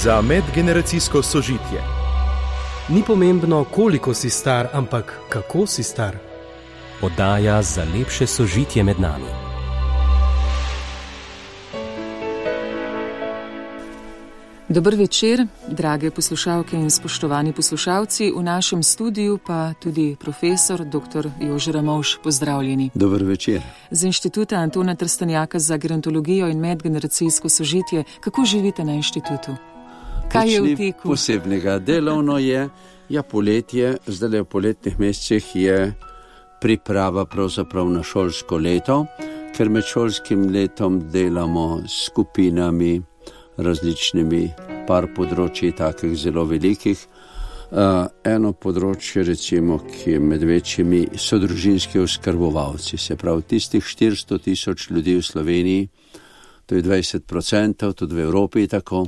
za medgeneracijsko sožitje. Ni pomembno, koliko si star, ampak kako si star. Oddaja za lepše sožitje med nami. Dober večer, drage poslušalke in spoštovani poslušalci, v našem studiu pa tudi profesor dr. Jože Ramovš, pozdravljeni. Dober večer. Z Inštituta Antona Trstenjaka za gerontologijo in medgeneracijsko sožitje, kako živite na inštitutu? Kaj je v teku? Posebnega delovno je, poletje, zdaj v poletnih mesecih je priprava pravzaprav na šolsko leto, ker med šolskim letom delamo s skupinami, različnimi par področji, takih zelo velikih. Eno področje, recimo, ki je med večjimi, so družinski oskrbovalci, se pravi tistih 400 000 ljudi v Sloveniji, to je 20%, tudi v Evropi tako,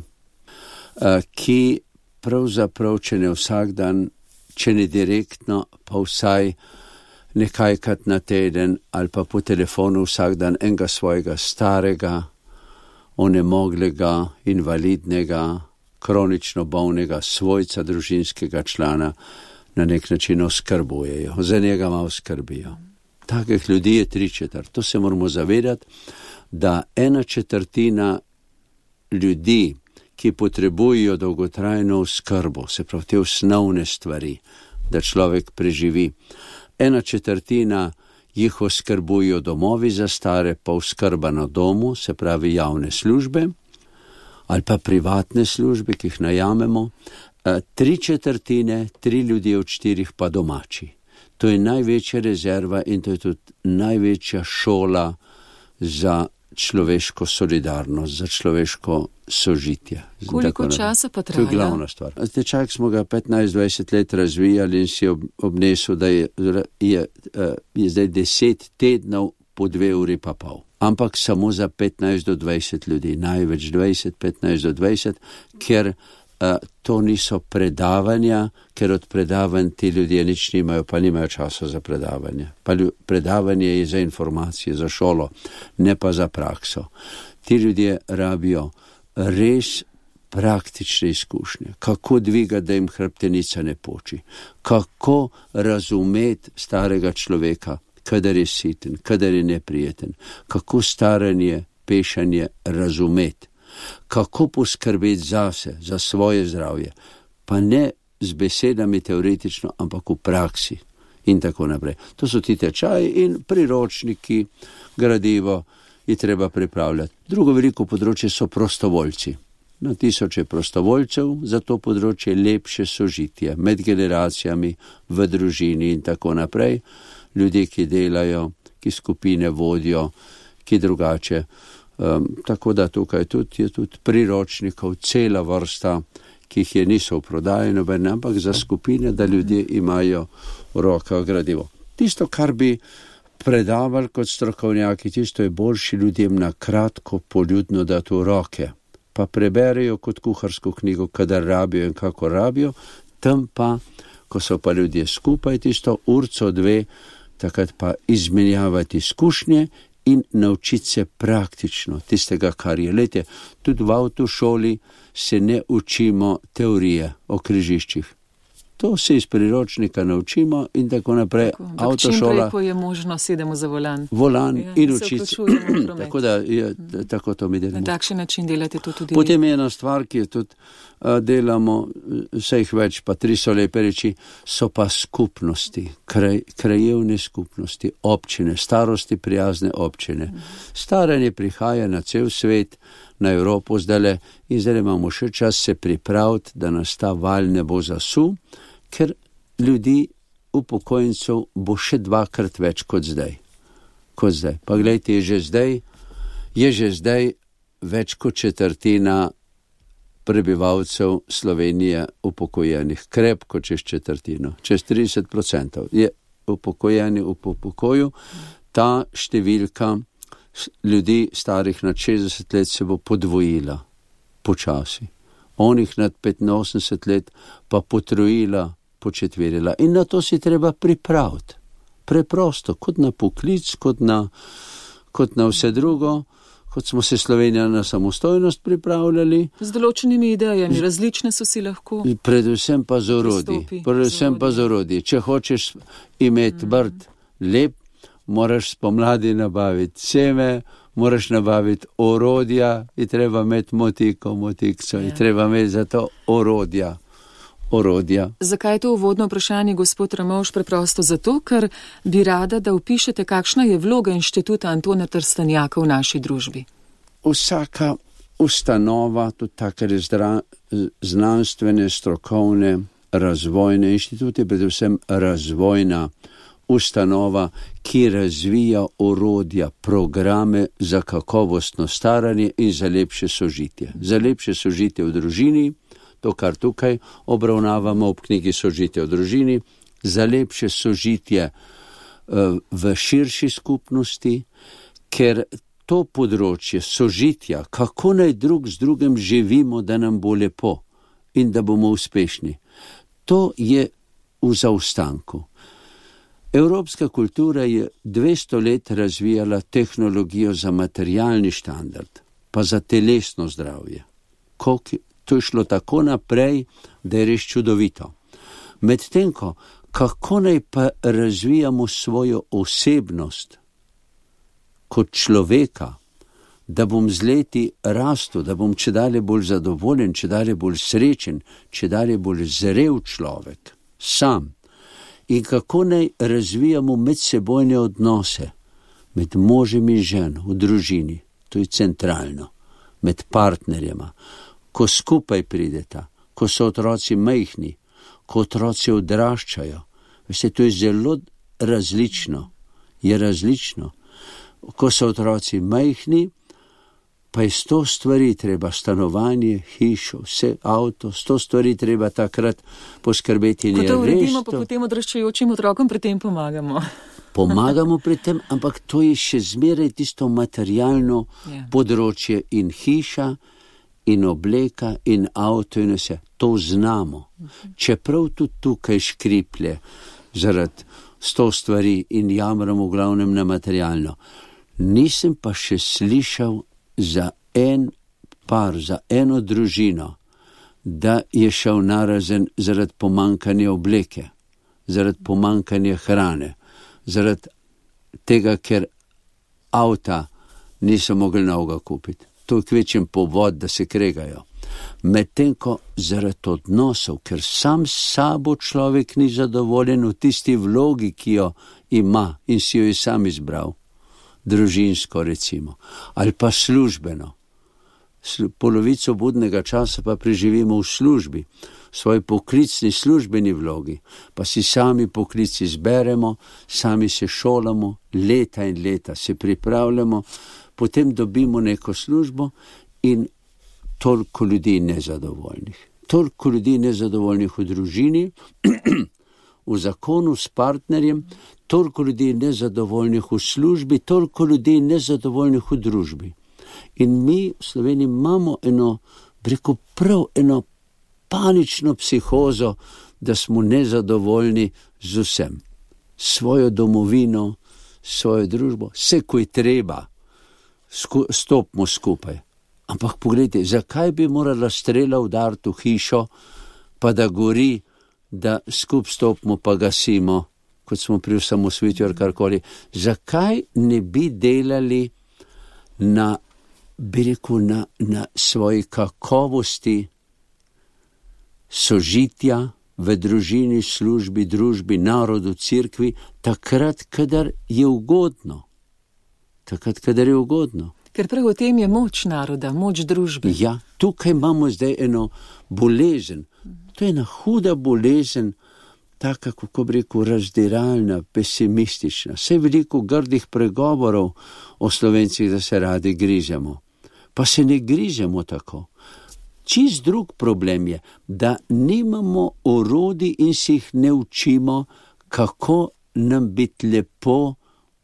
ki pravzaprav, če ne vsak dan, če ne direktno, pa vsaj nekajkrat na teden ali pa po telefonu vsak dan enega svojega starega, onemoglega, invalidnega, kronično bolnega svojca, družinskega člana na nek način oskrbujejo, za njega malo skrbijo. Takih ljudi je 3/4. To se moramo zavedati, da 1/4 ljudi, ki potrebujejo dolgotrajno oskrbo, se pravi te osnovne stvari, da človek preživi, 1/4 jih oskrbujo domovi za stare, pa oskrba na domu, se pravi javne službe, ali pa privatne službe, ki jih najamemo, 3/4, 3 ljudje od 4 pa domači. To je največja rezerva in to je tudi največja šola za človeško solidarnost, za človeško sožitje. Koliko časa pa traja? To je glavna stvar. Tečaj smo ga 15-20 let razvijali in si obnesel, da je zdaj 10 tednov po 2 uri pa pol. Ampak samo za 15 do 20 ljudi, največ 20, 15 do 20, ker to niso predavanja, ker od predavanj ti ljudje nič nimajo, pa nimajo časa za predavanje. Pa predavanje je za informacije, za šolo, ne pa za prakso. Ti ljudje rabijo res praktične izkušnje, kako dvigati, da jim hrbtenica ne poči, kako razumeti starega človeka, kadar je siten, kadar je neprijeten, kako staranje, pešanje razumeti, kako poskrbeti zase, za svoje zdravje, pa ne z besedami teoretično, ampak v praksi in tako naprej. To so ti tečaji in priročniki, gradivo je treba pripravljati. Drugo veliko področje so prostovoljci. Na tisoče prostovoljcev za to področje lepše sožitje med generacijami, v družini in tako naprej. Ljudje, ki delajo, ki skupine vodijo, ki drugače. Tako da tukaj je tudi priročnikov cela vrsta, ki jih niso v prodaji nobene, ampak za skupine, da ljudje imajo v rokah gradivo. Tisto, kar bi predavali kot strokovnjaki, tisto je boljši ljudem na kratko, poljudno dati v roke, pa preberejo kot kuharsko knjigo, kadar rabijo in kako rabijo, tam pa, ko so pa ljudje skupaj, tisto urco 2, takrat pa izmenjavati izkušnje in naučiti se praktično tistega, kar je. Lejte, tudi v avtošoli se ne učimo teorije o križiščih. To se iz priročnika naučimo in tako naprej. Avtošola. Čim prej, ko je možno, sedemo za volan. In učiti se. Tako da je tako to mi delamo. Na takšen način delate to tudi. Potem je ena stvar, ki jo tudi delamo, vse jih več, pa 3 so lepe reči, so pa skupnosti, krajevne skupnosti, občine, starosti prijazne občine. Staranje prihaja na cel svet, na Evropo zdajle in zdaj imamo še čas se pripraviti, da nas ta val ne bo zasul, ker ljudi, upokojencev, bo še 2-krat več kot zdaj. Pa gledajte, je že zdaj več kot 1/4 prebivalcev Slovenije upokojenih, krepko čez 1/4, čez 30% je upokojeni v pokoju. Ta številka ljudi starih nad 60 let se bo podvojila počasi. Onih nad 85 let pa potrojila, početverila. In na to si treba pripraviti. Preprosto, kot na poklic, kot na vse drugo, kot smo se Slovenija na samostojnost pripravljali. Z določenimi idejami, različne so si lahko. Predvsem pa z orodji. Če hočeš imeti vrt lep, moraš spomladi nabaviti seme, moraš nabaviti orodja, je treba imeti motikco, je treba imeti za to orodja. Zakaj je to uvodno vprašanje, gospod Ramovš? Preprosto zato, ker bi rada, da opišete, kakšna je vloga inštituta Antona Trstenjaka v naši družbi. Vsaka ustanova, tudi take znanstvene, strokovne, razvojne inštitute, predvsem razvojna ustanova, ki razvija orodja, programe za kakovostno staranje in za lepše sožitje. Za lepše sožitje v družini, to, kar tukaj obravnavamo v knjigi Sožitje v družini, za lepše sožitje v širši skupnosti, ker to področje sožitja, kako naj drug z drugim živimo, da nam bo lepo in da bomo uspešni, to je v zaostanku. Evropska kultura je 200 let razvijala tehnologijo za materialni standard, pa za telesno zdravje. To je šlo tako naprej, da je res čudovito. Medtem ko, kako naj pa razvijamo svojo osebnost kot človeka, da bom z leti rastel, da bom čedalje bolj zadovoljen, čedalje bolj srečen, čedalje bolj zrel človek, sam. In kako naj razvijamo medsebojne odnose med možem in ženo v družini, to je centralno, med partnerjema, ko skupaj prideta, ko so otroci majhni, ko otroci odraščajo. Veste, to je zelo različno. Je različno. Ko so otroci majhni, pa je 100 stvari treba, stanovanje, hišo, vse, avto, 100 stvari treba takrat poskrbeti. Ko to uredimo, pa potem odraščajočim otrokom pri tem pomagamo. Pomagamo pri tem, ampak to je še zmeraj tisto materialno področje in hiša, in obleka, in avto, in vse. To znamo. Čeprav tudi tukaj škriplje zaradi 100 stvari in jamramo v glavnem na materialno. Nisem pa še slišal za en par, za eno družino, da je šel narazen zaradi pomankanja obleke, zaradi pomankanja hrane, zaradi tega, ker avta niso mogli novega kupiti. To je kvečen povod, da se kregajo. Medtem ko zaradi odnosov, ker sam s sabo človek ni zadovoljen v tisti vlogi, ki jo ima in si jo je sam izbral, družinsko recimo, ali pa službeno. Polovico budnega časa pa preživimo v službi, v svoji poklicni službeni vlogi, pa si sami poklici izberemo, sami se šolamo, leta in leta se pripravljamo, potem dobimo neko službo in toliko ljudi nezadovoljnih. Toliko ljudi nezadovoljnih v družini, v zakonu s partnerjem, toliko ljudi nezadovoljnih v službi, toliko ljudi nezadovoljnih v družbi. In mi v Sloveniji imamo eno panično psihozo, da smo nezadovoljni z vsem. Svojo domovino, svojo družbo, vse, ko je treba. Stopimo skupaj. Ampak pogledajte, zakaj bi morala strela udariti v hišo, pa da gori, da skup stopimo pa gasimo, kot smo pri osamosvojitvi ali karkoli. Zakaj ne bi delali na svoji kakovosti sožitja v družini, službi, družbi, narodu, cerkvi, takrat, kadar je ugodno. Ker prav v tem je moč naroda, moč družbe. Ja, tukaj imamo zdaj eno bolezen. To je ena huda bolezen, taka, kako bi rekel, razdiralna, pesimistična. Vse veliko grdih pregovorov o Slovencih, da se radi grižemo. Pa se ne grižemo tako. Čist drug problem je, da nimamo orodij in si jih ne učimo, kako nam biti lepo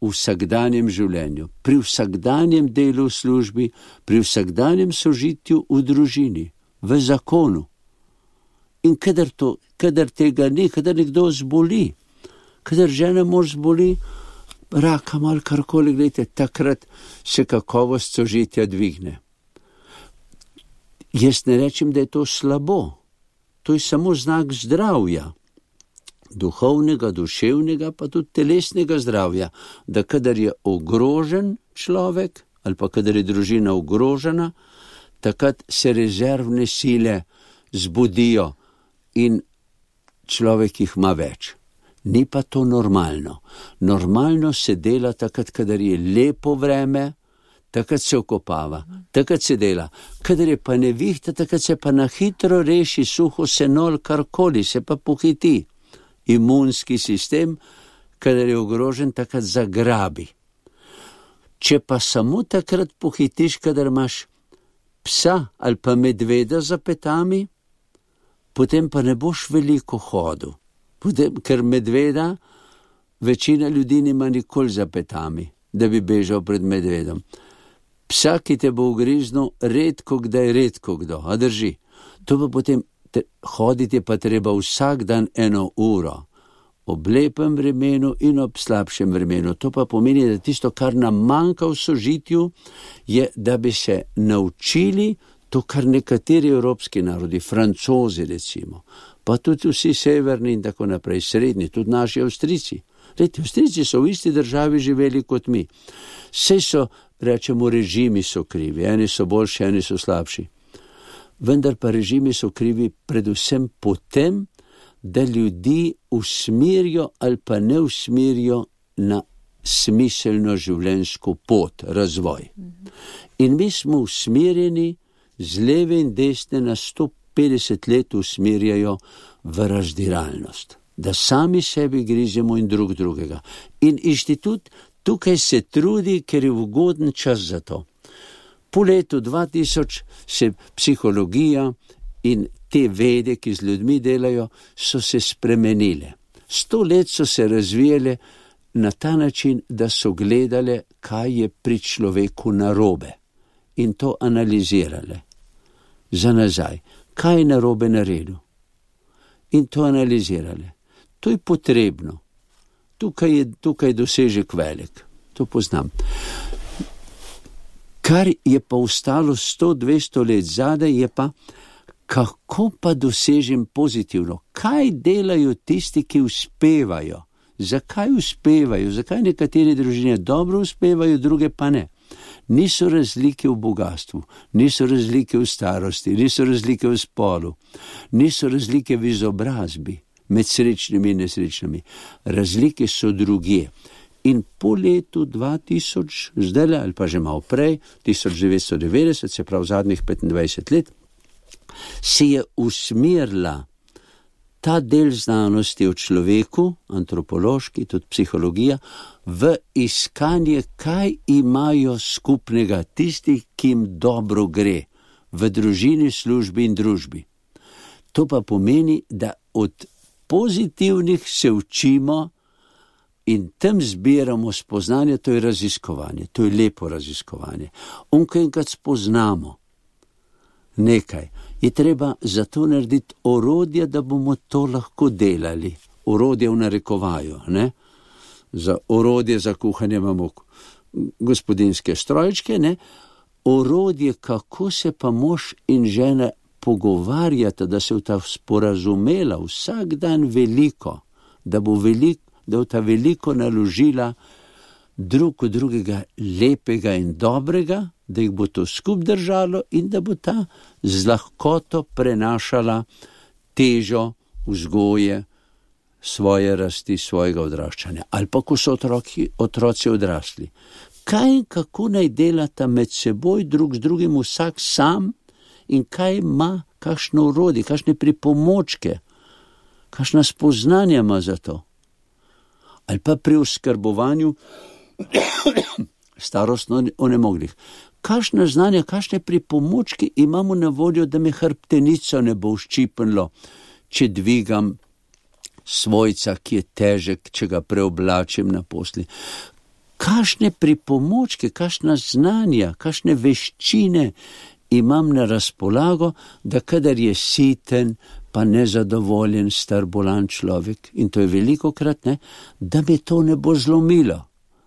v vsakdanjem življenju, pri vsakdanjem delu v službi, pri vsakdanjem sožitju v družini, v zakonu. In kadar tega ni, kadar nekdo zboli, kadar žena mož zboli, rakam ali karkoli, gledajte, takrat se kakovost sožitja dvigne. Jaz ne rečem, da je to slabo. To je samo znak zdravja. Duhovnega, duševnega, pa tudi telesnega zdravja. Da kadar je ogrožen človek, ali pa kadar je družina ogrožena, takrat se rezervne sile zbudijo in človek jih ima več. Ni pa to normalno. Normalno se dela takrat, kadar je lepo vreme, takrat se okopava, takrat se dela. Kadar je pa nevihta, takrat se pa na hitro reši suho seno ali karkoli, se pa pohiti. Imunski sistem, kadar je ogrožen, takrat zagrabi. Če pa samo takrat pohitiš, kadar imaš psa ali pa medveda za petami, potem pa ne boš veliko hodil. Ker medveda večina ljudi nima nikoli za petami, da bi bežal pred medvedom. Psa, ki te bo ugriznil, redko kdo, a drži. To pa potem hoditi pa treba vsak dan 1 uro, ob lepem vremenu in ob slabšem vremenu. To pa pomeni, da tisto, kar nam manjka v sožitju, je, da bi se naučili to, kar nekateri evropski narodi, Francozi recimo, pa tudi vsi severni in tako naprej, srednji, tudi naši Avstrijci. Avstrijci so v isti državi živeli kot mi. Saj so, rečemo, režimi so krivi, eni so boljši, eni so slabši. Vendar pa režimi so krivi predvsem potem, da ljudi usmerijo ali pa ne usmerijo na smiselno življenjsko pot, razvoj. In mi smo usmerjeni z leve in desne na 150 let usmerjajo v razdiralnost, da sami sebi grizemo in drugega. In inštitut tukaj se trudi, ker je ugoden čas za to. Po letu 2000 se psihologija in te vede, ki z ljudmi delajo, so se spremenile. 100 let so se razvijale na ta način, da so gledale, kaj je pri človeku narobe in to analizirale. Za nazaj, kaj je narobe naredil in to analizirale. To je potrebno. Tukaj je dosežek velik. To poznam. Kar je pa ostalo 100-200 let zadaj, je pa, kako pa dosežem pozitivno? Kaj delajo tisti, ki uspevajo? Zakaj uspevajo? Zakaj nekatere družine dobro uspevajo, druge pa ne? Niso razlike v bogatstvu, niso razlike v starosti, niso razlike v spolu, niso razlike v izobrazbi med srečnimi in nesrečnimi. Razlike so drugje. In po letu 2000, zdaj ali pa že malo prej, 1990, se pravi zadnjih 25 let, se je usmerila ta del znanosti o človeku, antropološki, tudi psihologija, v iskanje, kaj imajo skupnega tisti, ki jim dobro gre v družini, službi in družbi. To pa pomeni, da od pozitivnih se učimo in tam zbiramo spoznanje, to je raziskovanje, to je lepo raziskovanje. Ko enkrat spoznamo nekaj, je treba za to narediti orodje, da bomo to lahko delali. Orodje v narekovaju, ne? Za orodje za kuhanje imamo gospodinjske strojčke, ne? Orodje, kako se pa mož in žena pogovarjata, da se v ta sporazumela vsak dan veliko, da bo ta veliko naložila drug od drugega lepega in dobrega, da jih bo to skup držalo in da bo ta z lahkoto prenašala težo vzgoje svoje rasti, svojega odraščanja. Ali pa, ko so otroci odrasli. Kaj in kako naj delata med seboj, drug z drugim, vsak sam in kaj ima, kakšno orodje, kakšne pripomočke, kakšna spoznanja ima za to. Ali pa pri oskrbovanju starostno onemoglih. Kakšna znanja, kakšne pripomočke imamo na voljo, da me hrbtenico ne bo ščipnilo, če dvigam svojca, ki je težek, če ga preoblačim na posli. Kakšne pripomočke, kakšna znanja, kakšne veščine imam na razpolago, da kadar je siten, pa nezadovoljen, star, bolan človek, in to je velikokrat, ne, da me to ne bo zlomilo,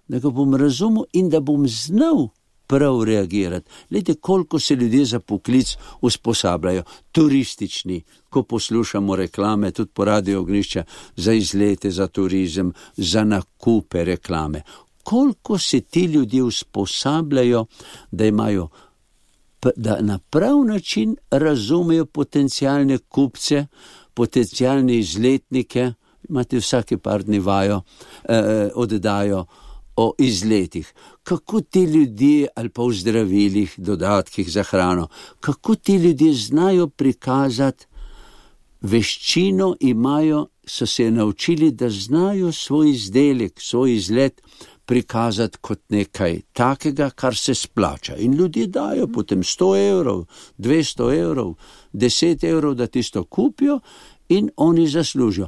da ga bom razumel in da bom znal prav reagirati. Glejte, koliko se ljudje za poklic usposabljajo, turistični, ko poslušamo reklame, tudi po Radio Ognjišča, za izlete, za turizem, za nakupe reklame. Koliko se ti ljudje usposabljajo, da na prav način razumejo potencialne kupce, potencialne izletnike, imate vsake par dni vajo, oddajo o izletih. Kako ti ljudje, ali pa v zdravilih, dodatkih za hrano, kako ti ljudje znajo prikazati veščino, so se naučili, da znajo svoj izdelek, svoj izlet prikazati kot nekaj takega, kar se splača. In ljudje dajo potem 100 evrov, 200 evrov, 10 evrov, da tisto kupijo in oni zaslužijo.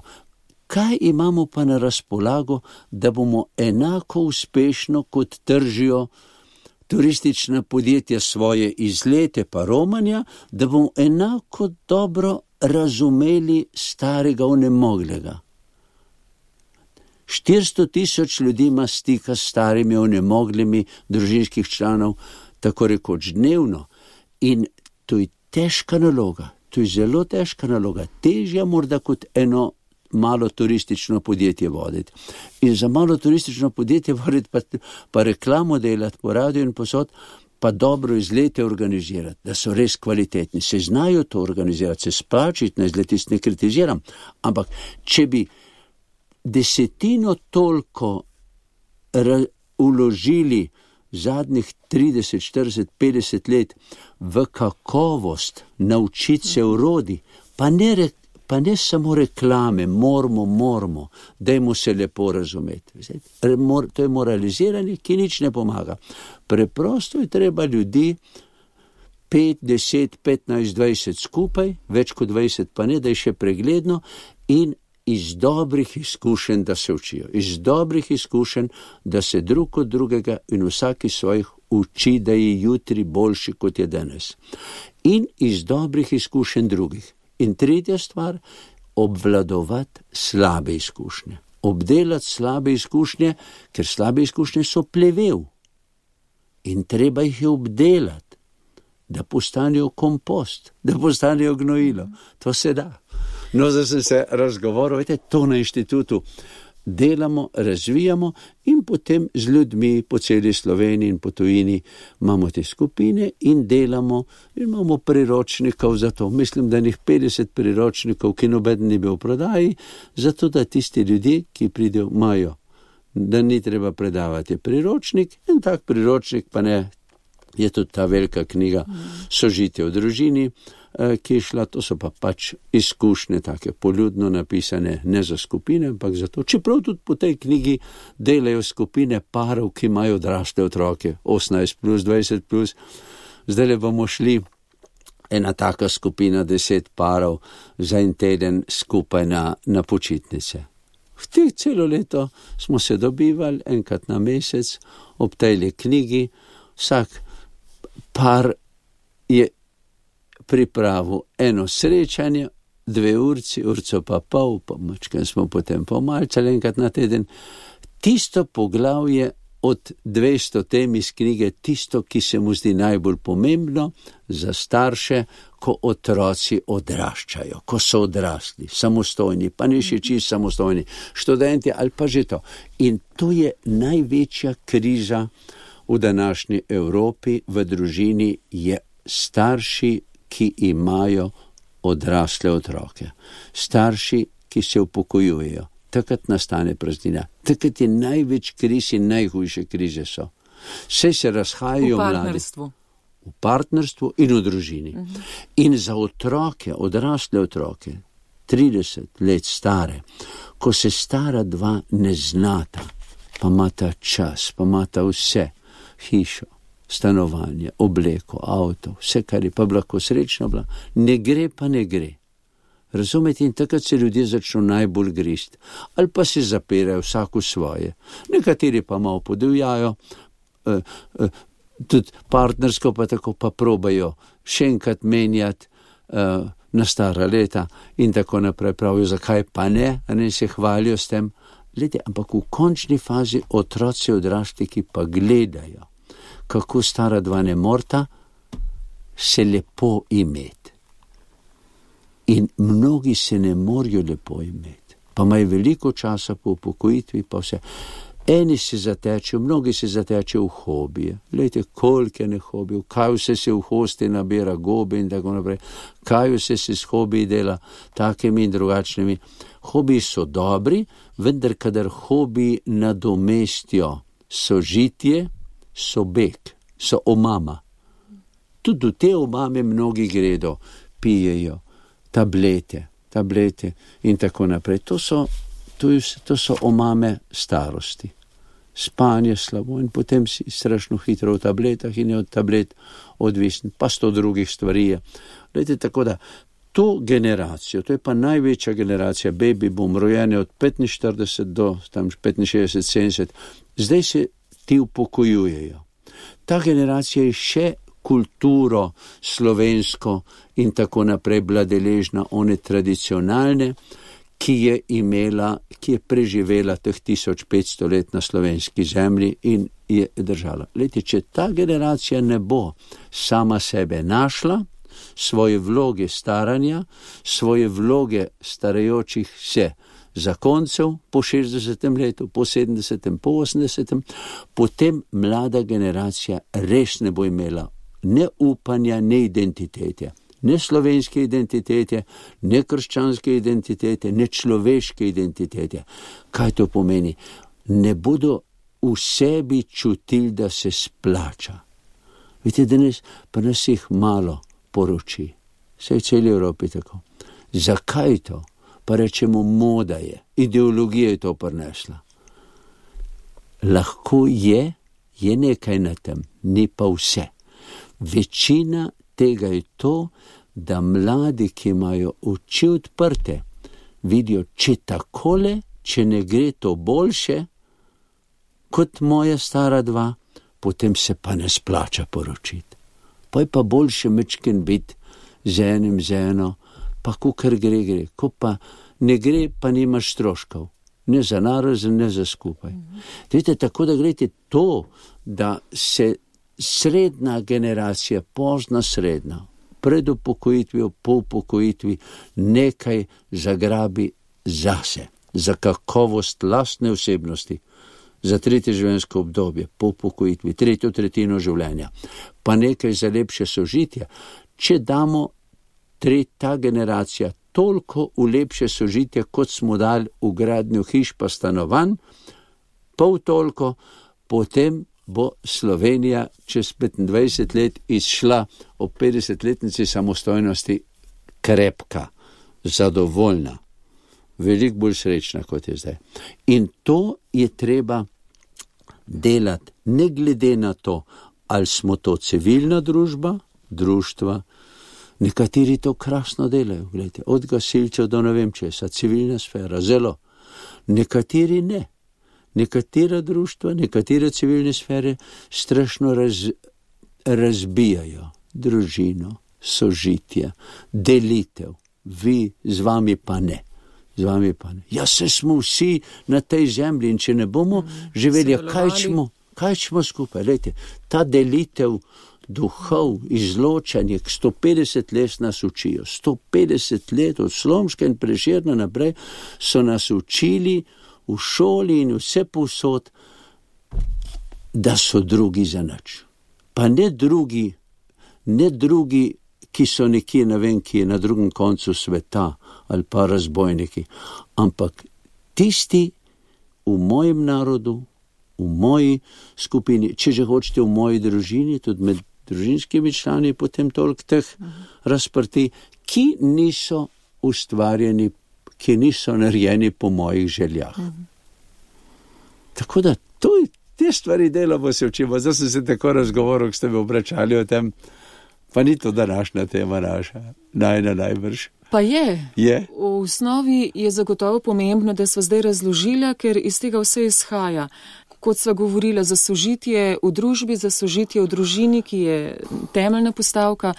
Kaj imamo pa na razpolago, da bomo enako uspešno, kot tržijo turistična podjetja svoje izlete pa romanja, da bomo enako dobro razumeli starega onemoglega. 400 000 ljudi ima stika s starimi onemoglimi družinskih članov, tako rekoč dnevno. In to je težka naloga, to je zelo težka naloga, težja morda kot eno malo turistično podjetje voditi. In za malo turistično podjetje voditi pa reklamo delati po radiju in posod, pa dobro izlete organizirati, da so res kvalitetni, se znajo to organizirati, se splačiti na izletist, ne kritiziram, ampak če bi 10 toliko uložili zadnjih 30, 40, 50 let v kakovost, naučiti se urodi, pa ne samo reklame, moramo, dajmo se lepo razumeti. To je moraliziranje, ki nič ne pomaga. Preprosto je treba ljudi 5, 10, 15, 20 skupaj, več kot 20 pa ne, da je še pregledno, in iz dobrih izkušenj, da se učijo. Iz dobrih izkušenj, da se drug od drugega in vsaki svojih uči, da je jutri boljši, kot je danes. In iz dobrih izkušenj drugih. In tretja stvar, obvladovati slabe izkušnje. Obdelati slabe izkušnje, ker slabe izkušnje so plevel. In treba jih je obdelati, da postanejo kompost, da postanejo gnojilo. To se da. No, zdaj sem se razgovoril, to na inštitutu delamo, razvijamo in potem z ljudmi po celi Sloveniji in po tujini imamo te skupine in delamo in imamo priročnikov za to. Mislim, da njih 50 priročnikov, ki nobeden ni bil v prodaji, zato da tisti ljudje, ki pridejo, imajo, da ni treba predavati priročnik, in tak priročnik pa ne, je tudi ta velika knjiga Sožitje v družini, ki je šla, to so pa pač izkušnje take poljudno napisane, ne za skupine, ampak za to. Čeprav tudi po tej knjigi delajo skupine parov, ki imajo odrasle otroke, 18+, 20+. Zdaj bomo šli ena taka skupina 10 parov za en teden skupaj na počitnice. V teh celo leto smo se dobivali enkrat na mesec ob tej knjigi. Vsak par je pripravil eno srečanje, 2 urci, urco pa pol, pa mačkaj smo potem pomalčali enkrat na teden. Tisto poglavje od 200 tem iz knjige, tisto, ki se mu zdi najbolj pomembno za starše, ko otroci odraščajo, ko so odrasli, samostojni, pa ne še čisto samostojni, študenti ali pa že to. In to je največja kriza v današnji Evropi, v družini, je starši, ki imajo odrasle otroke. Starši, ki se upokojujejo. Takrat nastane praznina. Takrat je največ kriz in najhujše krize so. Vse se razhajajo mladi. V partnerstvu in v družini. In za otroke, odrasle otroke, 30 let stare, ko se stara dva ne znata, pa imata čas, pa imata vse, hišo, stanovanje, obleko, avto, vse, kar je pa lahko srečno bila, ne gre pa ne gre. Razumete, in takrat se ljudje začnejo najbolj grist. Ali pa se zapirajo vsako svoje. Nekateri pa malo podivjajo, tudi partnersko pa tako pa probajo še enkrat menjati na stara leta in tako naprej pravijo, zakaj pa ne, a ne se hvalijo s tem, ampak v končni fazi otroci odrašli, ki pa gledajo, kako stara dva ne morta se lepo imeti. In mnogi se ne morajo lepo imeti, pa imajo veliko časa po upokojitvi, pa vse. Eni se zatečejo, mnogi se zatečejo v hobije. Glejte, koliko je ne hobijev, kaj vse se v hosti nabira, gobe in tako naprej, kaj vse se s hobiji dela, takimi in drugačnimi. Hobiji so dobri, vendar kadar hobiji nadomestijo sožitje, so beg, so omama. Tudi v te omame mnogi gredo, pijejo tablete in tako naprej. To so omame starosti. Spanje slabo in potem si strašno hitro v tabletah in je od tablet odvisen, pa 100 drugih stvari je. Glejte, tako da to generacijo, to je pa največja generacija, baby boom, rojene od 45 do tam 65-70, zdaj se ti upokojujejo. Ta generacija je še kulturo slovensko in tako naprej bila deležna one tradicionalne, ki je preživela teh 1500 let na slovenski zemlji in je držala. Glejte, če ta generacija ne bo sama sebe našla, svoje vloge staranja, svoje vloge starajočih se zakoncev po 60. letu, po 70., po 80., potem mlada generacija res ne bo imela ne upanja, ne identitete. Ne slovenske identitete, ne krščanske identitete, ne človeške identitete. Kaj to pomeni? Ne bodo v sebi čutili, da se splača. Vidite, danes pa nas jih malo poroči. Vse v celi Evropi tako. Zakaj to? Pa rečemo, moda je. Ideologija je to prinesla. Lahko je nekaj na tem, ni pa vse. Večina tega je to, da mladi, ki imajo oči odprte, vidijo, če takole, če ne gre to boljše, kot moja stara dva, potem se pa ne splača poročiti. Pa je pa boljše mečken biti z enim, z eno, pa kukar gre, ko pa ne gre, pa nimaš stroškov. Ne za narazen, ne za skupaj. Vidite, tako da gledajte to, da se srednja generacija, pozna srednja, pred upokojitvijo, po upokojitvi nekaj zagrabi zase, za kakovost lastne osebnosti, za 3. življenjsko obdobje, po upokojitvi, 3/3 življenja, pa nekaj za lepše sožitje. Če damo ta generacija toliko v lepše sožitje, kot smo dali v gradnjo hiš pa stanovanj, pol toliko, potem bo Slovenija čez 25 let izšla ob 50-letnici samostojnosti krepka, zadovoljna, veliko bolj srečna, kot je zdaj. In to je treba delati, ne glede na to, ali smo to civilna družba, društva, nekateri to krasno delajo, gledajte, od gasilcev do ne vem česa, civilna sfera, zelo, nekateri ne. Nekatera društva, nekatere civilne sfere strašno razbijajo družino, sožitje, delitev. Vi, z vami pa ne. Ja, se smo vsi na tej zemlji in če ne bomo živeli, kaj smo skupaj? Lejte, ta delitev duhov, izločanje, 150 let nas učijo. 150 let od Slomška in Prešerna naprej so nas učili v šoli in vse povsod, da so drugi za nič. Pa ne drugi, ki so nekje, ne vem, ki je na drugem koncu sveta ali pa razbojniki, ampak tisti v mojem narodu, v moji skupini, če že hočete v moji družini, tudi med družinskimi člani, potem toliko teh razprti, ki niso ustvarjeni, ki niso narejeni po mojih željah. Tako da te stvari delamo, se učimo. Zdaj sem se tako razgovoril, ko ste me obračali o tem, pa ni to današnja tema naša, najbrž. Pa je. V osnovi je zagotovo pomembno, da sva zdaj razložila, ker iz tega vse izhaja. Kot sva govorila, za sožitje v družbi, za sožitje v družini, ki je temeljna postavka,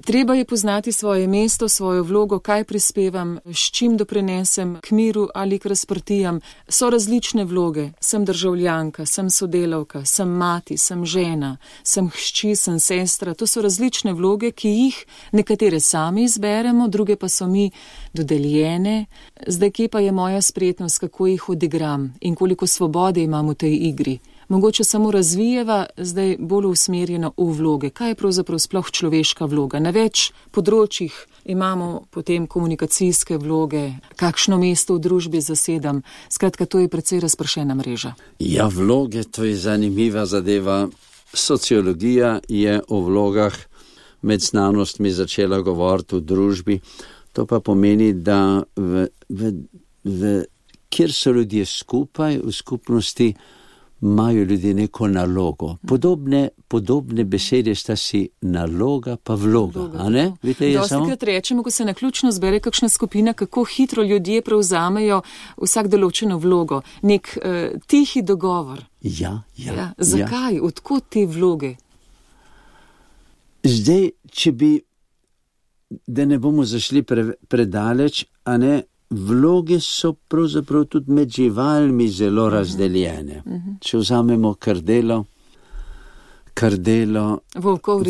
Treba je poznati svoje mesto, svojo vlogo, kaj prispevam, s čim doprinesem k miru ali k razprtijam. So različne vloge, sem državljanka, sem sodelavka, sem mati, sem žena, sem hčer, sem sestra. To so različne vloge, ki jih nekatere sami izberemo, druge pa so mi dodeljene. Zdaj, kje pa je moja spretnost, kako jih odigram in koliko svobode imam v tej igri. Mogoče samo razvijeva, zdaj bolj usmerjena v vloge. Kaj je pravzaprav sploh človeška vloga? Na več področjih imamo potem komunikacijske vloge, kakšno mesto v družbi zasedam. Skratka, to je precej razpršena mreža. Ja, vloge, to je zanimiva zadeva. Sociologija je o vlogah med znanostmi začela govoriti v družbi. To pa pomeni, da kjer so ljudje skupaj, v skupnosti, imajo ljudje neko nalogo. Podobne besede sta si naloga pa vloga. A ne? Dostikrat rečemo, ko se naključno zbere kakšna skupina, kako hitro ljudje prevzamejo vsak določeno vlogo. Nek tihi dogovor. Ja. Zakaj? Ja. Odkot te vloge? Zdaj, če bi, da ne bomo zašli predaleč, a ne, vloge so pravzaprav tudi med živalmi zelo razdeljene. Če vzamemo krdelo, volkov,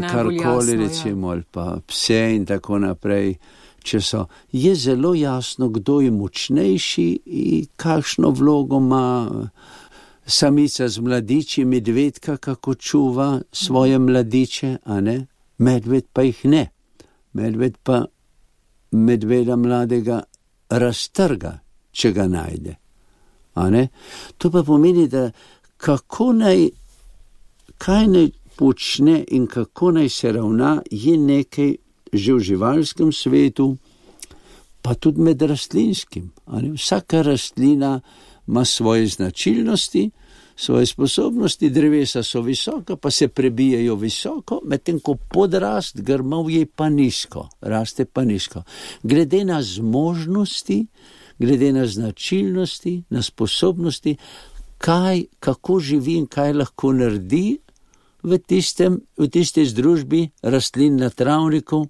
karkoli recimo, ali pa pse in tako naprej, je zelo jasno, kdo je močnejši in kakšno vlogo ima samica z mladiči, medvedka, kako čuva svoje mladiče, a ne? Medved pa jih ne. Medved pa medveda mladega raztrga, če ga najde. A ne? To pa pomeni, da kaj naj počne in kako naj se ravna, je nekaj že v živalskem svetu, pa tudi med rastlinskim. A ne? Vsaka rastlina ima svoje značilnosti, svoje sposobnosti, drevesa so visoka, pa se prebijajo visoko, medtem ko podrast grmovje pa nizko, raste pa nizko. Glede na zmožnosti, glede na značilnosti, na sposobnosti, kako živi in kaj lahko naredi v tistej združbi rastlin na travniku,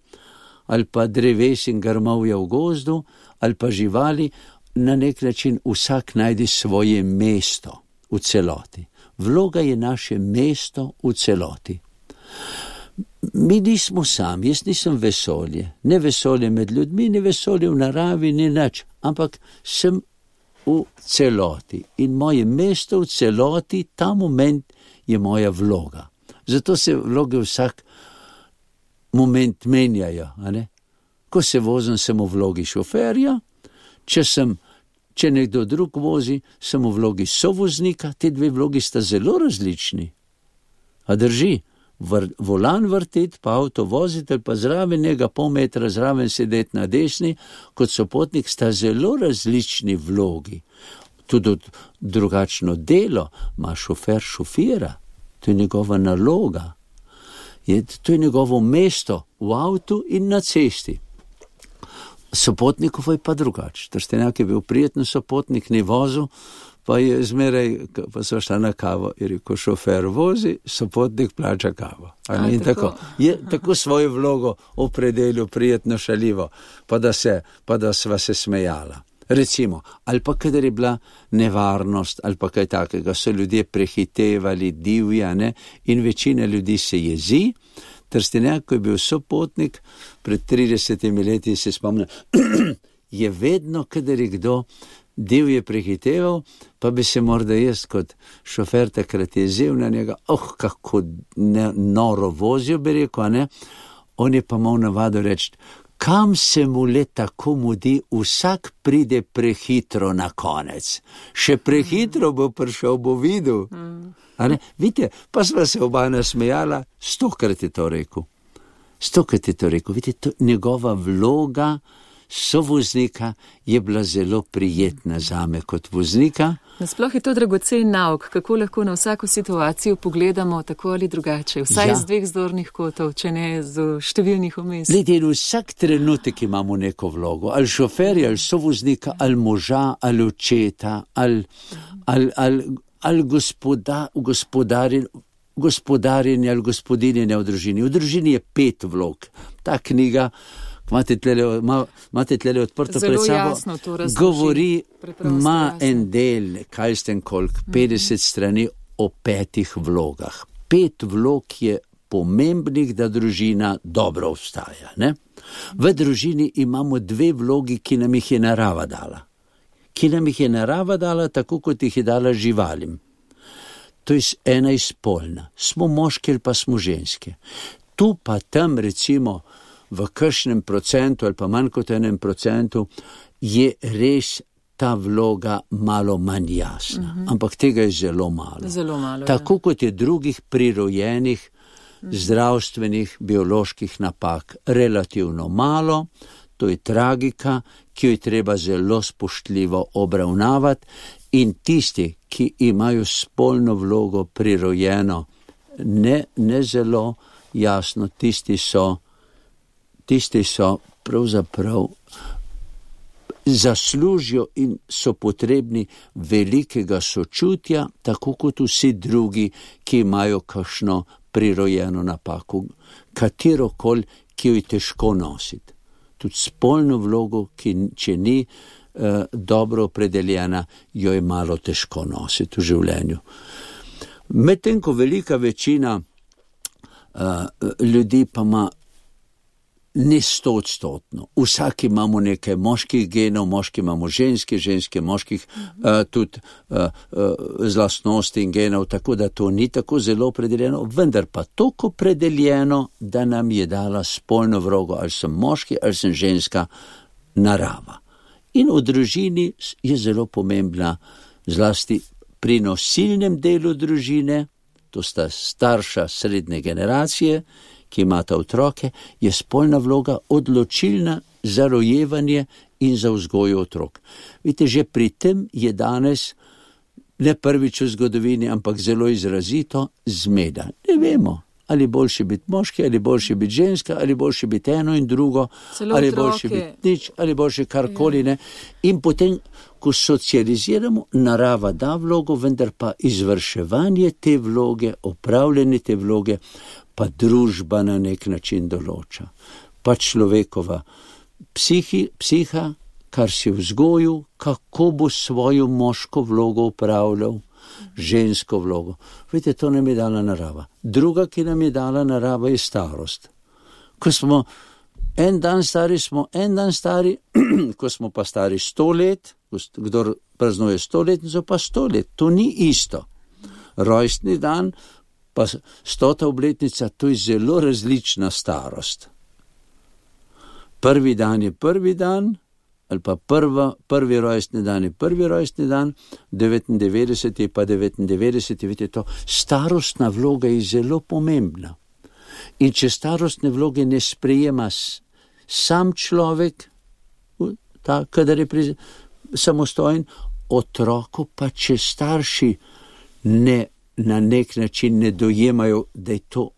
ali pa dreves in grmovja v gozdu, ali pa živali, na nek način vsak najde svoje mesto v celoti. Vloga je naše mesto v celoti. Mi nismo sami, jaz nisem vesolje. Ne vesolje med ljudmi, ne vesolje v naravi, ni nič, ampak sem v celoti. In moje mesto v celoti, ta moment je moja vloga. Zato se vloge vsak moment menjajo. A ne? Ko se vozim, sem v vlogi šoferja, če nekdo drug vozi, sem v vlogi sovoznika, te dve vlogi sta zelo različni. A drži, volan vrteti, pa avto voziti, ali pa zraven njega pol metra zraven sedeti na desni, kot sopotnik sta zelo različni vlogi. Tudi drugačno delo ima šofer šofira, to je njegova naloga. To je njegovo mesto v avtu in na cesti. Sopotnikov je pa drugače. Trstenjak je bil prijeten sopotnik, ni vozil, pa je zmeraj, pa so šla na kavo, jer ko šofer vozi, sopotnik plača kavo. In tako. Je tako svojo vlogo opredelil prijetno šaljivo, pa da sva se smejala. Recimo, ali pa kadar je bila nevarnost, ali pa kaj takega, so ljudje prehitevali, divja, in večina ljudi se jezi. Trstenjak, ko je bil sopotnik, pred 30 leti se spomnim, je vedno, kadar je kdo divje prehiteval, pa bi se morda jaz kot šofer takrat jezel na njega, kako noro vozijo, bi rekel, ne? On je pa imel navado reči, kam se mu le tako mudi, vsak pride prehitro na konec. Še prehitro bo prišel, bo videl. Vidite, pa sva se oba nasmejala, 100krat je to rekel. 100krat je to rekel. Vidite, njegova vloga sovoznika je bila zelo prijetna zame kot voznika. Nasploh je to dragocen nauk, kako lahko na vsako situacijo pogledamo tako ali drugače, vsaj z dveh zornih kotov, če ne z številnih omest. Glede, vsak trenutek imamo neko vlogo, ali šoferja, ali sovoznika, ali moža, ali očeta, ali gospodarja. gospodarjenja ali gospodinjenja v družini. V družini je 5 vlog. Ta knjiga, imate tlele odprto zelo pred sabo, jasno to razloži. govori, Preprosto ima jasno. en del, kaj ste koliko, 50 strani o 5 vlogah. 5 vlog je pomembnih, da družina dobro obstaja. Ne? V družini imamo 2 vlogi, ki nam jih je narava dala. Ki nam jih je narava dala, tako kot jih je dala živalim. To je ena izpolna. Smo moški ali pa smo ženske. Tu pa tam recimo v kakšnem procentu ali pa manj kot 1% je res ta vloga malo manj jasna. Ampak tega je zelo malo. Zelo malo, Tako kot je drugih prirojenih zdravstvenih, bioloških napak relativno malo, to je tragika, ki jo je treba zelo spoštljivo obravnavati in tisti, ki imajo spolno vlogo prirojeno, ne zelo jasno, tisti so pravzaprav zaslužijo in so potrebni velikega sočutja, tako kot vsi drugi, ki imajo kakšno prirojeno napako, katerokoli, ki jo je težko nositi. Tudi spolno vlogo, ki če ni dobro opredeljena, jo je malo težko nositi v življenju. Medtem ko velika večina ljudi pa ima ne 100%. Vsak imamo nekaj moških genov, moški imamo ženske moških, tudi z lastnosti in genov, tako da to ni tako zelo opredeljeno, vendar pa toliko opredeljeno, da nam je dala spolno vlogo, ali sem moški, ali sem ženska, narava. In v družini je zelo pomembna, zlasti pri nosilnem delu družine, to sta starša srednje generacije, ki imata otroke, je spolna vloga odločilna za rojevanje in za vzgojo otrok. Vidite, že pri tem je danes, ne prvič v zgodovini, ampak zelo izrazito, zmeda. Ne vemo, ali boljše biti moški, ali boljše biti ženska, ali boljše biti eno in drugo, Celo ali otroke. boljše biti nič, ali boljše karkoli ne. In potem, ko socializiramo, narava da vlogo, vendar pa izvrševanje te vloge, opravljanje te vloge, pa družba na nek način določa. Pa človekova psiha, kar si vzgojil, kako bo svojo moško vlogo upravljal, žensko vlogo. Vidite, to nam je dala narava. Druga, ki nam je dala narava, je starost. Ko smo en dan stari, ko smo pa stari 100 let, kdor praznuje 100 letnico, pa 100 let. To ni isto. Rojstni dan, pa 100. obletnica, to je zelo različna starost. Prvi dan je prvi dan, ali pa prvi rojstni dan je prvi rojstni dan, 99 je pa 99, vidite to. Starostna vloga je zelo pomembna. In če starostne vloge ne sprejema sam človek, kadar je samostojen, otroku pa če starši na nek način ne dojemajo, da je to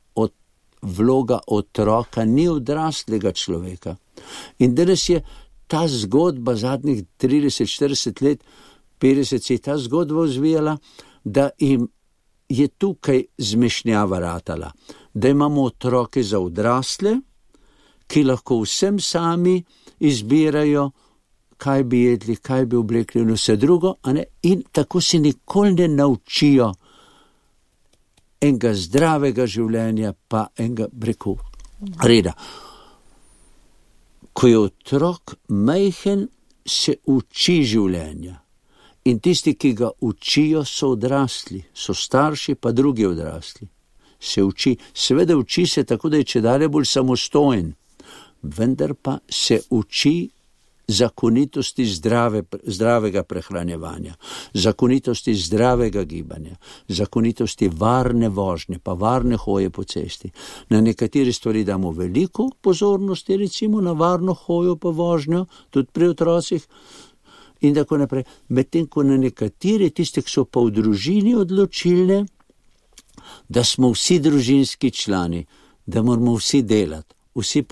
vloga otroka, ni odraslega človeka. In danes je ta zgodba zadnjih 30-40 let, 50 se je ta zgodba vzvijala, da jim je tukaj zmešnjava ratala, da imamo otroke za odrasle, ki lahko vsem sami izbirajo, kaj bi jedli, kaj bi oblekli in vse drugo, in tako se nikoli ne naučijo enega zdravega življenja, pa enega reda. Ko je otrok majhen, se uči življenja. In tisti, ki ga učijo, so odrasli, so starši, pa drugi odrasli. Se uči, seveda uči se tako, da je čedalje bolj samostojen, vendar pa se uči zakonitosti zdravega prehranjevanja, zakonitosti zdravega gibanja, zakonitosti varne vožnje, pa varne hoje po cesti. Na nekateri stvari damo veliko pozornosti, recimo na varno hojo pa vožnjo, tudi pri otrocih in tako naprej. Medtem ko na nekateri tiste, ki so pa v družini odločilne, da smo vsi družinski člani, da moramo vsi delati, vsi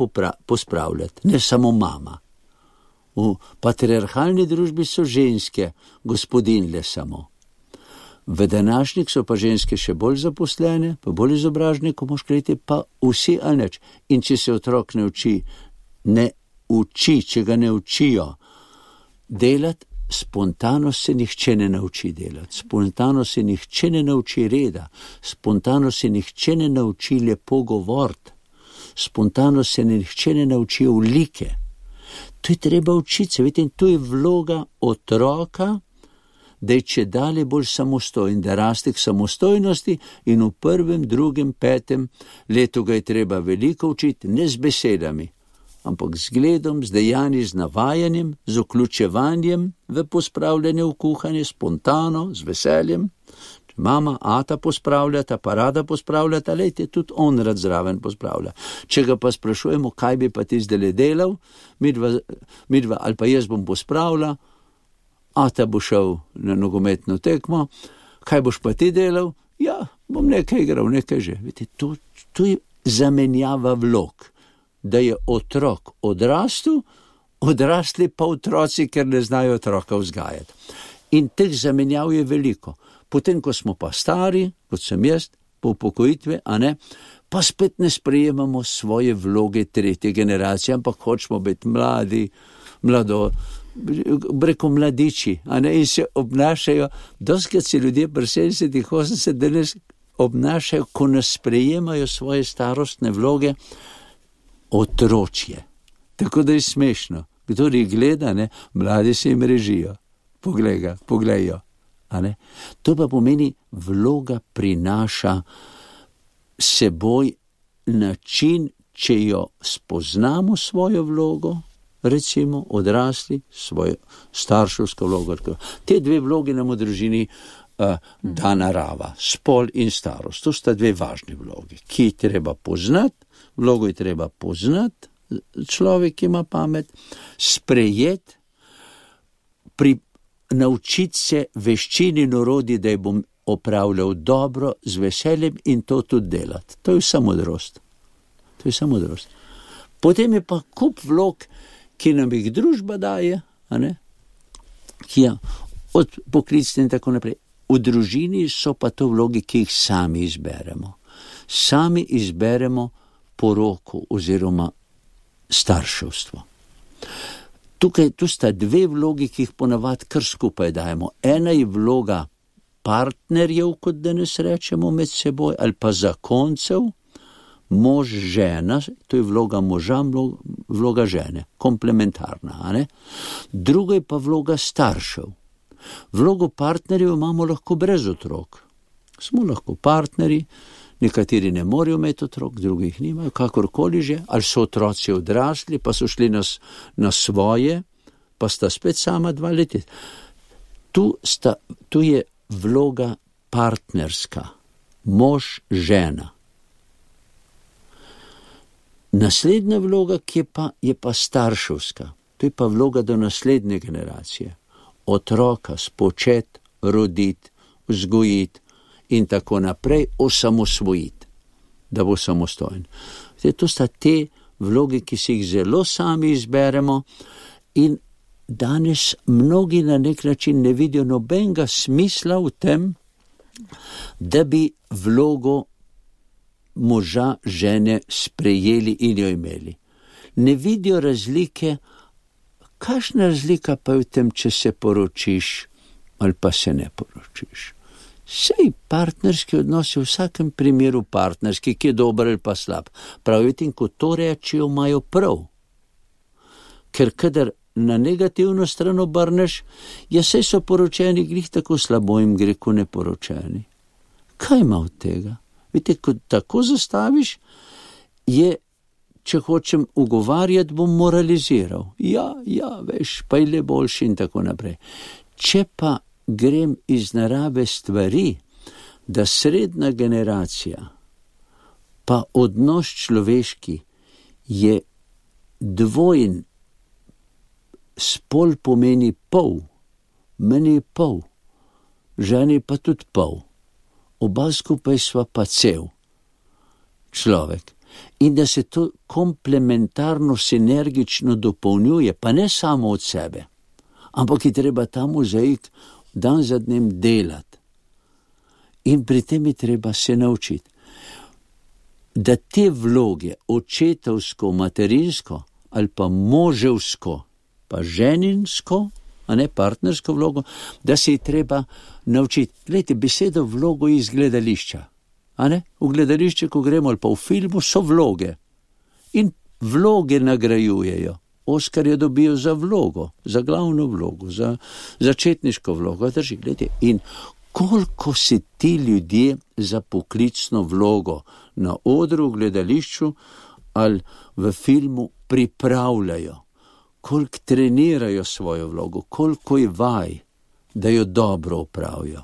pospravljati, ne samo mama. V patriarhalni družbi so ženske gospodinjle samo. V današnjih so pa ženske še bolj zaposlene, pa bolj izobražene, ko moš kreti, pa vsi ali neč. In če se otrok ne uči, če ga ne učijo delati, spontano se nihče ne nauči delati, spontano se nihče ne nauči reda, spontano se nihče ne nauči lepo govoriti, spontano se nihče ne nauči olike. To je treba učiti se, vidite, in to je vloga otroka, da je čedalje bolj samostojen, da raste k samostojnosti in v 1., 2., 5. letu ga je treba veliko učiti, ne z besedami, ampak z zgledom, z dejanji, z navajanjem, z vključevanjem v pospravljanje, v kuhanje, spontano, z veseljem. Če mama, ata pospravljata, pa rada pospravljata, lejte, tudi on rad zraven pospravlja. Če ga pa sprašujemo, kaj bi pa ti zdaj delal, midva ali pa jaz bom pospravila, ata bo šel na nogometno tekmo, kaj boš pa ti delal? Ja, bom nekaj igral, nekaj že. Vidite, to je zamenjava vlog, da je otrok odrasli pa otroci, ker ne znajo otroka vzgajati. In teh zamenjav je veliko. Potem, ko smo pa stari, kot sem jaz, po upokojitvi, pa spet ne sprejemamo svoje vloge 3. generacije, ampak hočemo biti mladiči, in se obnašajo, doskrat se ljudje pri 70, 80 danes obnašajo, ko nas sprejemajo svoje starostne vloge, otročje. Tako da je smešno. Kdor jih gleda, mladi se jim režijo. Pogledajo. To pa pomeni, vloga prinaša seboj način, če jo spoznamo svojo vlogo, recimo odrasli, svojo starševsko vlogo. Te 2 vloge nam v družini da narava, spol in starost. To sta 2 važni vlogi, ki jih treba poznati, vlogo je treba poznati, človek ima pamet, sprejeti, naučiti se veščini in orodji, da je bom opravljal dobro, z veseljem in to tudi delati. To je vsa modrost. Potem je pa kup vlog, ki nam jih družba daje, ki je od poklicne in tako naprej. V družini so pa to vlogi, ki jih sami izberemo. Sami izberemo poroko oziroma starševstvo. Tu sta 2 vlogi, ki jih ponavadi kar skupaj dajemo. Ena je vloga partnerjev, kot danes rečemo med seboj, ali pa zakoncev, mož, žena, to je vloga moža, vloga žene, komplementarna. Druga je pa vloga staršev. Vlogo partnerjev imamo lahko brez otrok. Smo lahko partnerji, nekateri ne morejo imeti otrok, drugi jih nimajo, kakorkoli že, ali so otroci odrasli, pa so šli na svoje, pa sta spet sama 2 leta. Tu je vloga partnerska, mož, žena. Naslednja vloga, ki je pa starševska, to je pa vloga do naslednje generacije. Otroka spočeti, roditi, vzgojiti in tako naprej, osamosvojiti, da bo samostojen. To sta te vloge, ki si jih zelo sami izberemo in danes mnogi na nek način ne vidijo nobenega smisla v tem, da bi vlogo moža, žene sprejeli in jo imeli. Ne vidijo razlike, kakšna razlika pa je v tem, če se poročiš ali pa se ne poročiš. Sej partnerski odnosi v vsakem primeru partnerski, ki je dober ali pa slab. Pravite, in ko to rečijo, imajo prav. Ker kadar na negativno stran obrneš, sej so poročeni, glih tako slabo jim gre, ko neporočeni. Kaj ima od tega? Vidite, ko tako zastaviš, če hočem ugovarjati, bom moraliziral. Ja, veš, pa je le boljši in tako naprej. Če pa grem iz narave stvari, da srednja generacija, pa odnos človeški je dvojen, spol pomeni pol, meni je pol, ženi pa tudi pol, oba skupaj sva pa cel človek. In da se to komplementarno, sinergično dopolnjuje, pa ne samo od sebe, ampak je treba ta mozaik dan za dnem delati. In pri tem je treba se naučiti, da te vloge, očetovsko, materinsko ali pa moževsko, pa ženinsko, a ne partnersko vlogo, da se je treba naučiti. Glejte, besedo vlogo iz gledališča. A ne? V gledališče, ko gremo ali pa v filmu, so vloge. In vloge nagrajujejo. Oskarja dobijo za vlogo, za glavno vlogo, za začetniško vlogo. Drži, glejte. In koliko se ti ljudje za poklicno vlogo na odru, v gledališču ali v filmu pripravljajo, koliko trenirajo svojo vlogo, koliko je vaj, da jo dobro opravijo.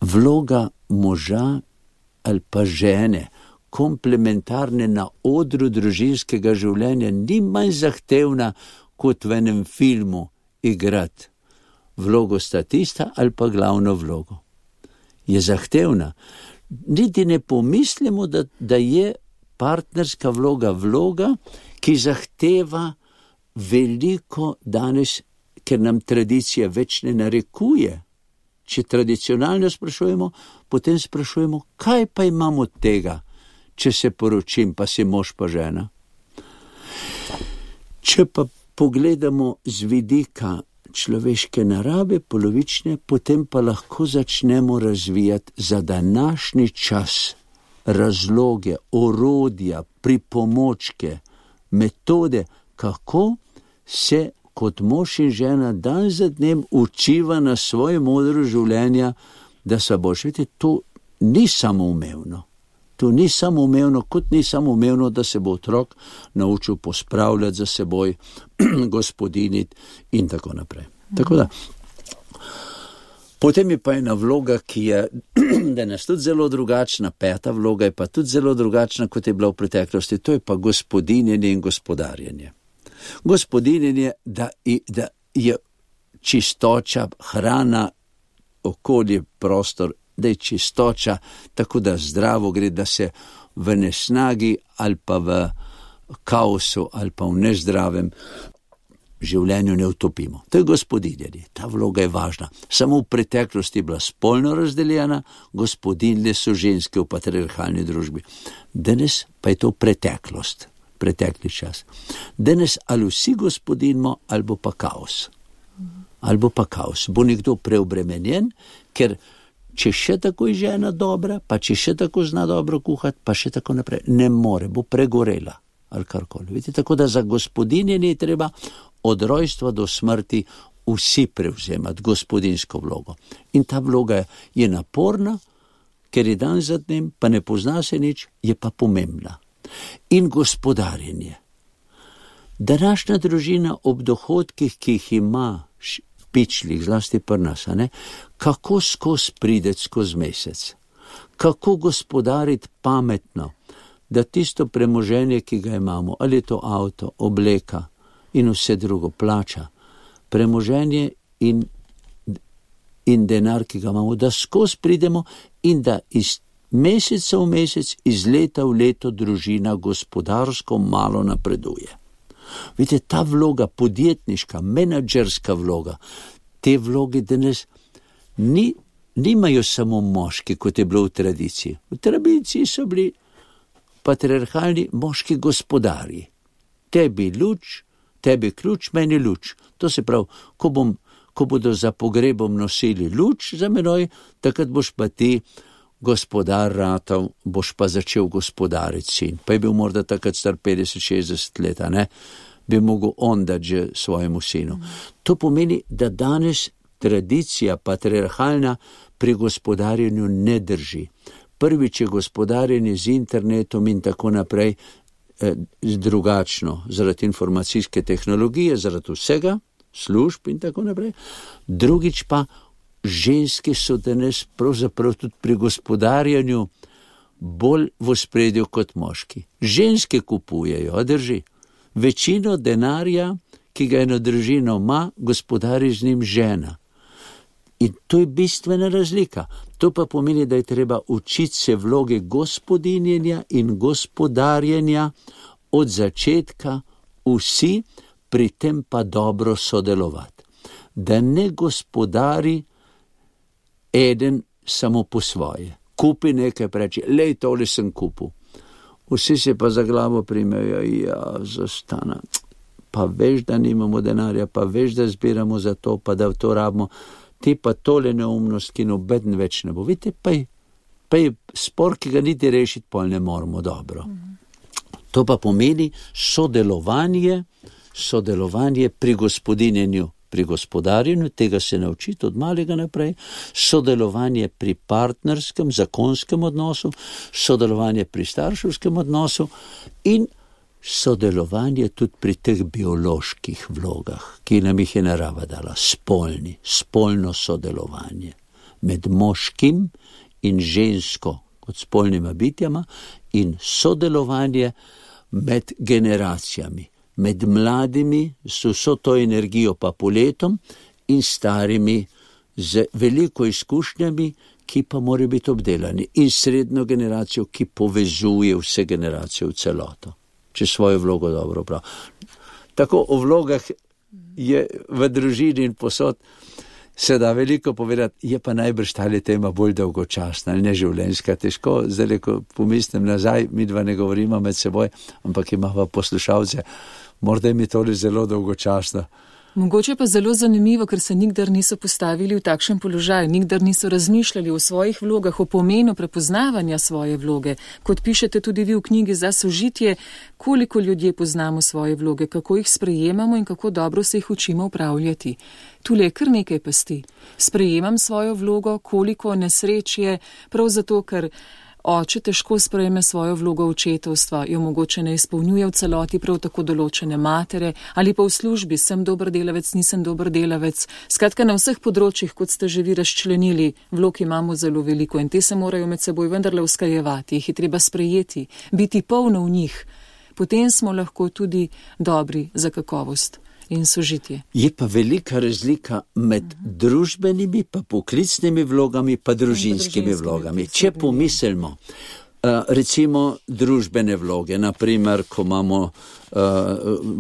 Vloga moža ali pa žene, komplementarne na odru družinskega življenja, ni manj zahtevna kot v enem filmu igrati vlogo statista ali pa glavno vlogo. Je zahtevna. Niti ne pomislimo, da je partnerska vloga, ki zahteva veliko danes, ker nam tradicija več ne narekuje. Če tradicionalno sprašujemo, potem sprašujemo, kaj pa imamo od tega, če se poročim, pa si mož pa žena. Če pa pogledamo z vidika človeške narave, polovične, potem pa lahko začnemo razvijati za današnji čas razloge, orodja, pripomočke, metode, kako se kot mož in žena dan za dnem učiva na svojem odru življenja, da se boš, vidite, to ni samoumevno. To ni samoumevno, kot ni samoumevno, da se bo otrok naučil pospravljati za seboj, gospodiniti in tako naprej. Tako da, potem je pa ena vloga, ki je danes tudi zelo drugačna, peta vloga je pa tudi zelo drugačna, kot je bila v preteklosti, to je pa gospodinjenje in gospodarjenje. Gospodinjenje, da je čistoča, hrana, okolje, prostor, da je čistoča, tako da zdravo gre, da se v nesnagi ali pa v kaosu ali pa v nezdravem življenju ne utopimo. To je gospodinjenje, ta vloga je važna. Samo v preteklosti je bila spolno razdeljena, gospodinje so ženske v patriarhalni družbi. Danes pa je to preteklost, pretekli čas. Danes ali vsi gospodinjimo, ali bo pa kaos. Ali bo pa kaos. Bo nekdo preobremenjen, ker če še tako je žena dobra, pa če še tako zna dobro kuhati, pa še tako naprej, ne more, bo pregorela ali karkoli. Vidite, tako da za gospodinjenje je treba od rojstva do smrti vsi prevzemati gospodinjsko vlogo. In ta vloga je naporna, ker je dan za dnem, pa ne pozna se nič, je pa pomembna. In gospodarjenje. Današnja družina ob dohodkih, ki jih ima pičlih, zlasti pri nas, kako skozi prideti skozi mesec, kako gospodariti pametno, da tisto premoženje, ki ga imamo, ali je to avto, obleka in vse drugo, plača, premoženje in denar, ki ga imamo, da skozi pridemo in da iz meseca v mesec, iz leta v leto družina gospodarsko malo napreduje. Vidite, ta vloga, podjetniška, menadžerska vloga, te vloge danes nimajo samo moški, kot je bilo v tradiciji. V tradiciji so bili patriarhalni moški gospodarji. Tebi luč, tebi ključ, meni luč. To se pravi, ko bodo za pogrebom nosili luč za menoj, takrat boš pa ti gospodar ratal, boš pa začel gospodariti sin. Pa je bil morda takrat star 50-60 let, bi mogel on dati že svojemu sinu. To pomeni, da danes tradicija patriarhalna pri gospodarjenju ne drži. Prvič je gospodarjenje z internetom in tako naprej drugačno, zaradi informacijske tehnologije, zaradi vsega, služb in tako naprej. Drugič pa ženske so danes pravzaprav tudi pri gospodarjenju bolj v ospredju kot moški. Ženske kupujejo, drži. Večino denarja, ki ga eno družino ima, gospodari z njim žena. In to je bistvena razlika. To pa pomeni, da je treba učiti se vloge gospodinjenja in gospodarjenja od začetka vsi, pri tem pa dobro sodelovati. Da ne gospodari eden samo po svoje. Kupi nekaj, reči, lej, tole sem kupil. Vsi se pa za glavo primejo, zostana. Pa veš, da nimamo denarja, pa veš, da zbiramo za to, pa da to rabimo. Ti pa tole neumnost, ki nobeden več ne bo. Vidite, pa je spor, ki ga niti rešiti, pol ne moramo dobro. To pa pomeni sodelovanje pri gospodinjenju, pri gospodarjenju, tega se naučiti od malega naprej, sodelovanje pri partnerskem, zakonskem odnosu, sodelovanje pri starševskem odnosu in sodelovanje tudi pri teh bioloških vlogah, ki nam jih je narava dala, spolno sodelovanje med moškim in žensko kot spolnima bitjama in sodelovanje med generacijami, med mladimi s vso to energijo pa poletom in starimi z veliko izkušnjami, ki pa morajo biti obdelani, in srednjo generacijo, ki povezuje vse generacije v celoto, če svojo vlogo dobro prav. Tako o vlogah je v družini in posod se da veliko povedati, je pa najbrž tale tema bolj dolgočasna ali neživljenjska. Težko, zdaj, ko pomislim nazaj, mi dva ne govorimo med seboj, ampak imamo poslušalce, morda je mi tole zelo dolgočasno. Mogoče pa zelo zanimivo, ker se nikdar niso postavili v takšen položaj, nikdar niso razmišljali o svojih vlogah, o pomenu prepoznavanja svoje vloge. Kot pišete tudi vi v knjigi Za sožitje, koliko ljudje poznamo svoje vloge, kako jih sprejemamo in kako dobro se jih učimo upravljati. Tule je kar nekaj pasti. Sprejemam svojo vlogo, koliko nesreč je, prav zato, ker oče težko sprejme svojo vlogo očetovstva, jo mogoče ne izpolnjuje v celoti, prav tako določene matere, ali pa v službi, sem dober delavec, nisem dober delavec. Skratka, na vseh področjih, kot ste že vi razčlenili, vlog imamo zelo veliko in te se morajo med seboj vendarle usklajevati, jih je treba sprejeti, biti polno v njih. Potem smo lahko tudi dobri za kakovost in sožitje. Je pa velika razlika med družbenimi, pa poklicnimi vlogami, pa družinskimi vlogami. Če pomislimo, recimo družbene vloge, naprimer, ko imamo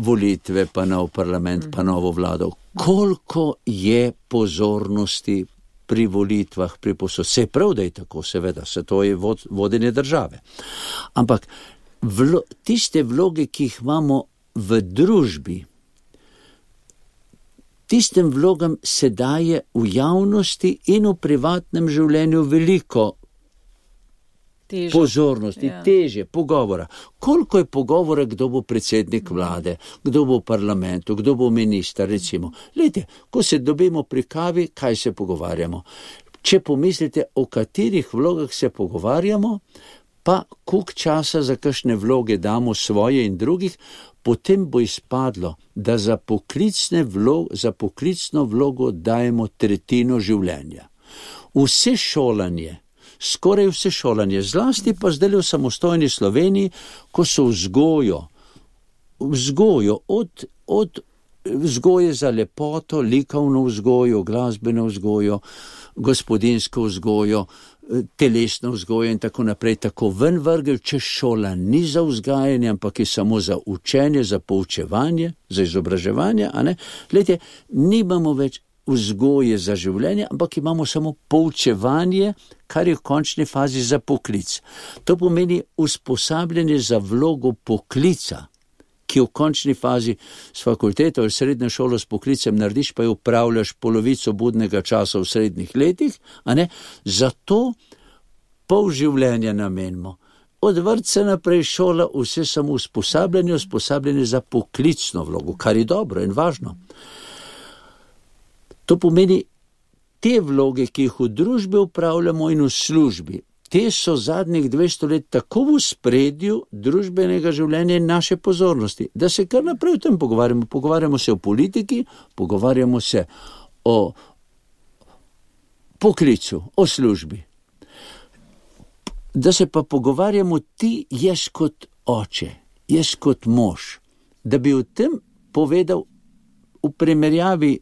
volitve, pa nov parlament, pa novo vlado, koliko je pozornosti pri volitvah, pri posod. Se prav, da je tako, seveda, se to je vodenje države. Ampak tiste vloge, ki jih imamo v družbi, tistem vlogam se daje v javnosti in v privatnem življenju veliko pozornosti, teže, pogovora. Koliko je pogovora, kdo bo predsednik vlade, kdo bo v parlamentu, kdo bo minister, recimo. Glejte, ko se dobimo pri kavi, kaj se pogovarjamo? Če pomislite, o katerih vlogah se pogovarjamo, pa koliko časa za kakšne vloge damo svoje in drugih, potem bo izpadlo, da za poklicno vlogo dajemo tretjino življenja. Skoraj vse šolanje, zlasti pa zdaj v samostojni Sloveniji, ko so vzgojo od vzgoje za lepoto, likovno vzgojo, glasbeno vzgojo, gospodinsko vzgojo, telesno vzgojo in tako naprej, tako ven vrgel, če šola ni za vzgajanje, ampak je samo za učenje, za poučevanje, za izobraževanje, a ne? Glejte, nimamo več vzgoje za življenje, ampak imamo samo poučevanje, kar je v končni fazi za poklic. To pomeni usposabljanje za vlogo poklica, ki v končni fazi s fakulteto ali srednjo šolo s poklicem narediš, pa jo upravljaš polovico budnega časa v srednjih letih, a ne? Zato pol življenja namenimo. Od vrtca naprej šola, vse samo usposabljanje za poklicno vlogo, kar je dobro in važno. To pomeni, te vloge, ki jih v družbi upravljamo in v službi, te so zadnjih 200 let tako v spredju družbenega življenja in naše pozornosti, da se kar naprej o tem pogovarjamo. Pogovarjamo se o politiki, pogovarjamo se o poklicu, o službi. Da se pa pogovarjamo ti, jaz kot oče, jaz kot mož, da bi o tem povedal v primerjavi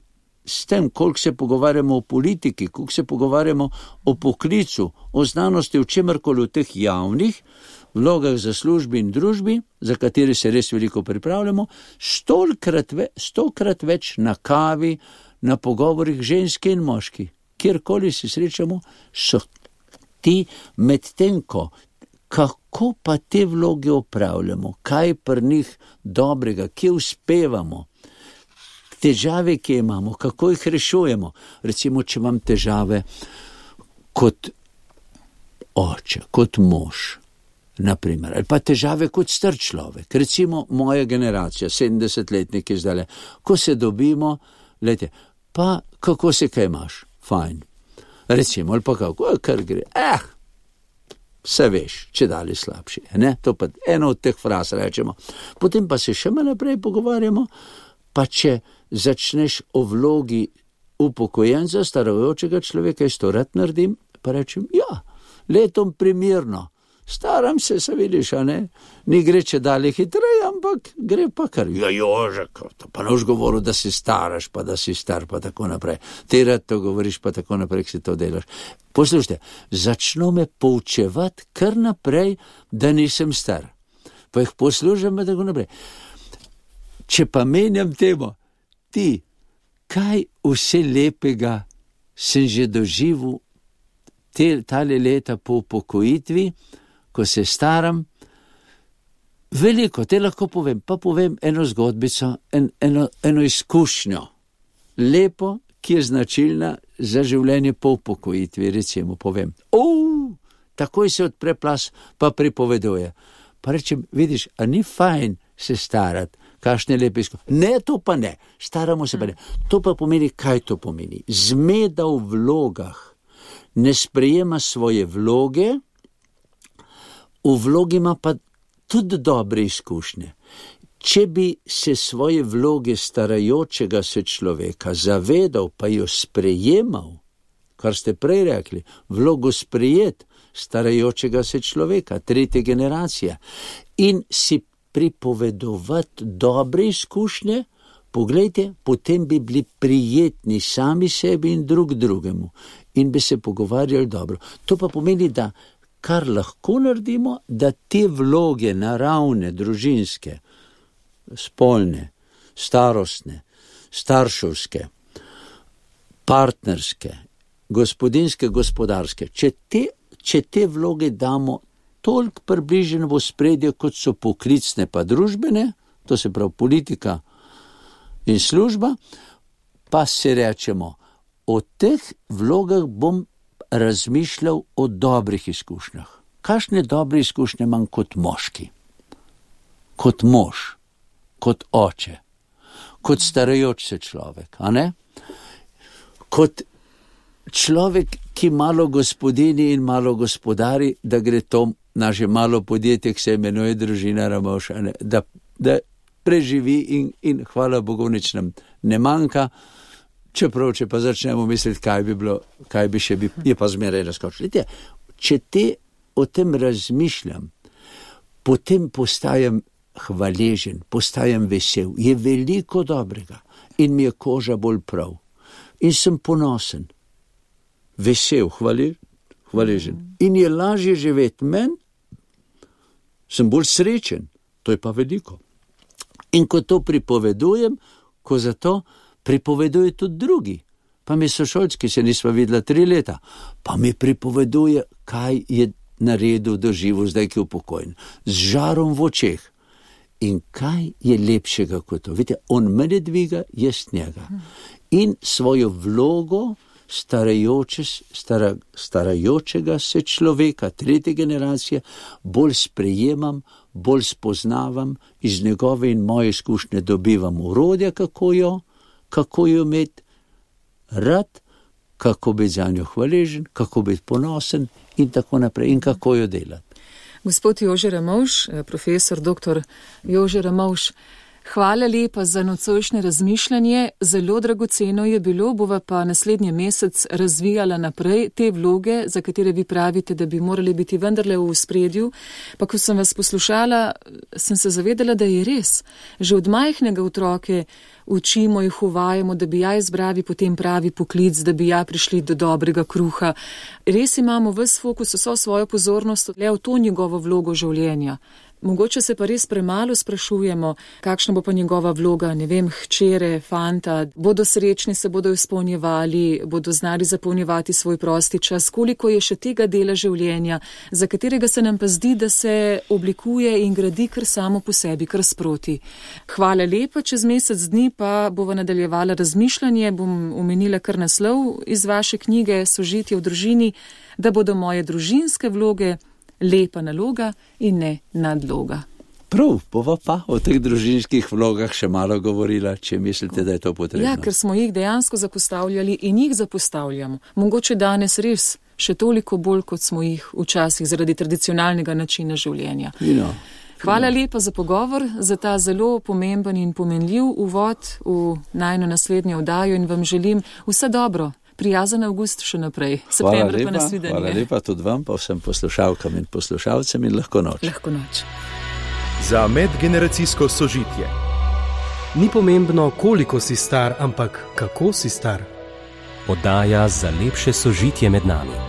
s tem, koliko se pogovarjamo o politiki, koliko se pogovarjamo o poklicu, o znanosti, o čemarkoli v teh javnih vlogah za službi in družbi, za katere se res veliko pripravljamo, stokrat več na kavi, na pogovorih ženske in moški. kjerkoli se srečamo, so ti medtem, kako pa te vloge opravljamo, kaj pri njih dobrega, kje uspevamo, težave, ki imamo, kako jih rešujemo. Recimo, če imam težave kot oče, kot mož, naprimer, ali pa težave kot star človek. Recimo, moja generacija, 70-letniki zdaj, ko se dobimo, lejte, pa kako se kaj imaš? Fajn. Recimo, ali pa kako, kar gre. Vse veš, če dali slabši. Ne? To pa eno od teh fraz rečemo. Potem pa se še malo naprej pogovarjamo, pa če začneš o vlogi upokojenca, starajočega človeka, jaz to rad naredim, pa rečem, ja, letom primirno, staram se vidiš, a ne? Ni gre če dalje hitreje, ampak gre pa kar. Ja, Jožek, to pa noš govoril, da si staraš, pa da si star, pa tako naprej. Ti rad to govoriš, pa tako naprej, ki si to delaš. Poslušajte, začno me poučevati kar naprej, da nisem star. Pa jih poslušam, pa tako naprej. Če pa menjam temo, ti, kaj vse lepega sem že doživel tale leta po upokojitvi, ko se staram, veliko, te lahko povem, pa povem eno zgodbico, eno izkušnjo, lepo, ki je značilna za življenje po upokojitvi, recimo povem. Takoj se odpre plas, pa pripoveduje. Pa rečem, vidiš, a ni fajn se starati, kakšne lepe izkušnje. Ne, to pa ne, staramo se pa ne. To pa pomeni, kaj to pomeni? Zmeda v vlogah, ne sprejema svoje vloge, v vlogi ima pa tudi dobre izkušnje. Če bi se svoje vloge starajočega se človeka zavedal, pa jo sprejemal, kar ste prej rekli, vlogo sprejet starajočega se človeka, tretja generacija, in si pripovedovati dobre izkušnje, poglejte, potem bi bili prijetni sami sebi in drug drugemu in bi se pogovarjali dobro. To pa pomeni, da kar lahko naredimo, da te vloge naravne, družinske, spolne, starostne, starševske, partnerske, gospodinske, gospodarske, če te vloge damo toliko približene v ospredje, kot so poklicne pa družbene, to se pravi politika in služba, pa se rečemo, o teh vlogah bom razmišljal o dobrih izkušnjah. Kakšne dobre izkušnje imam kot moški, kot mož, kot oče, kot starajoč se človek, a ne? Kot človek, ki malo gospodini in malo gospodari, da gre to naše malo podjetje, ki se imenuje Družina Ramovš, da preživi in hvala Bogu nič nam ne manjka. Čeprav, če pa začnemo misliti, kaj bi bilo, kaj bi še bi, je pa zmeraj razkočilo. Če o tem razmišljam, potem postajam hvaležen, postajam vesel, je veliko dobrega in mi je koža bolj prav. In sem ponosen, vesel, hvaležen. In je lažje živeti meni, sem bolj srečen, to je pa veliko. In ko to pripovedujem, ko zato pripoveduje tudi drugi, pa mi sošolci, ki se nisva videla 3 leta, pa mi pripoveduje, kaj je naredil, doživel zdaj, ki je upokojen, z žarom v očeh. In kaj je lepšega kot to? Vidite, on mene dviga, jaz njega. In svojo vlogo starajočega se človeka, tretje generacije, bolj sprejemam, bolj spoznavam, iz njegove in moje izkušnje dobivam orodja, kako jo imeti rad, kako biti za njo hvaležen, kako biti ponosen in tako naprej in kako jo delati. Gospod Jože Ramovš, profesor dr. Jože Ramovš, hvala lepa za nocojšnje razmišljanje, zelo dragoceno je bilo, bova pa naslednji mesec razvijala naprej te vloge, za katere vi pravite, da bi morali biti vendarle v ospredju, pa ko sem vas poslušala, sem se zavedala, da je res. Že od majhnega otroke učimo, jih uvajamo, da bi ja izbrali potem pravi poklic, da bi ja prišli do dobrega kruha. Res imamo ves fokus, vso svojo pozornost le v to njegovo vlogo življenja. Mogoče se pa res premalo sprašujemo, kakšna bo pa njegova vloga, ne vem, hčere, fanta, bodo srečni, se bodo izpolnjevali, bodo znali zapolnjevati svoj prosti čas, koliko je še tega dela življenja, za katerega se nam pa zdi, da se oblikuje in gradi kar samo po sebi, kar sproti. Hvala lepa, čez mesec dni pa bova nadaljevala razmišljanje, bom omenila kar naslov iz vaše knjige Sožitje v družini, da bodo moje družinske vloge lepa naloga in ne nadloga. Prav, bova pa o teh družinskih vlogah še malo govorila, če mislite, da je to potrebno. Ja, ker smo jih dejansko zapostavljali in jih zapostavljamo. Mogoče danes res še toliko bolj, kot smo jih včasih zaradi tradicionalnega načina življenja. Hvala lepa za pogovor, za ta zelo pomemben in pomenljiv uvod v najino naslednjo oddajo in vam želim vse dobro. Prijazen avgust še naprej. Septembra pa nasvidenje. Hvala lepa tudi vam, pa vsem poslušalkam in poslušalcem in lahko noč. Lahko noč. Za medgeneracijsko sožitje. Ni pomembno, koliko si star, ampak kako si star. Oddaja za lepše sožitje med nami.